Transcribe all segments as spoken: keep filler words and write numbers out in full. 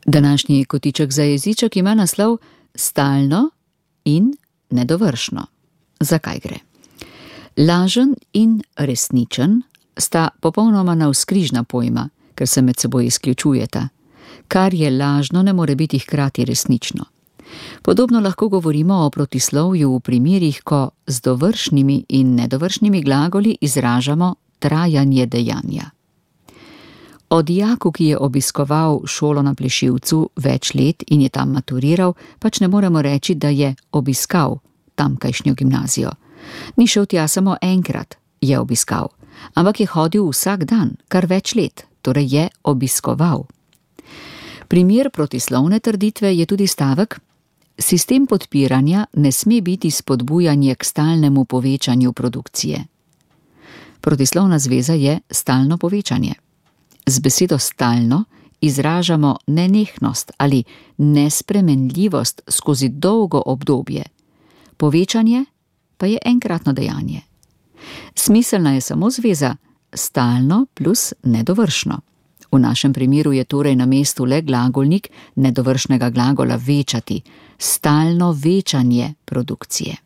Današnji kotiček za jeziček ima naslov Stalno in nedovršno. Zakaj gre? Lažen in resničen sta popolnoma navzkrižna pojma, ker se med seboj izključujeta. Kar je lažno, ne more biti hkrati resnično. Podobno lahko govorimo o protislovju v primerih, ko z dovršnimi in nedovršnimi glagoli izražamo trajanje dejanja. O dijaku, ki je obiskoval šolo na Plešivcu več let in je tam maturiral, pač ne moremo reči, da je obiskal tamkajšnjo gimnazijo. Ni šel tja samo enkrat, je obiskal, ampak je hodil vsak dan, kar več let, torej je obiskoval. Primer protislovne trditve je tudi stavek: sistem podpiranja ne sme biti spodbujanje k stalnemu povečanju produkcije. Protislovna zveza je stalno povečanje. Z besedo stalno izražamo nenehnost ali nespremenljivost skozi dolgo obdobje. Povečanje pa je enkratno dejanje. Smiselna je samo zveza stalno plus nedovršno. V našem primeru je torej na mestu le glagolnik nedovršnega glagola večati, stalno večanje produkcije.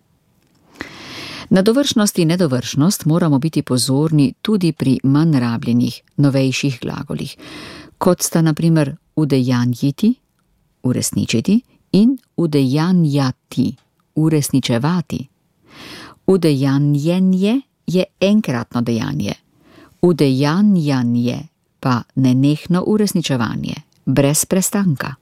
Na dovršnost in nedovršnost moramo biti pozorni tudi pri manj rabljenih, novejših glagolih, kot sta na primer udejanjiti, uresničiti, in udejanjati, uresničevati. Udejanjenje je enkratno dejanje, udejanjanje pa nenehno uresničevanje, brez prestanka.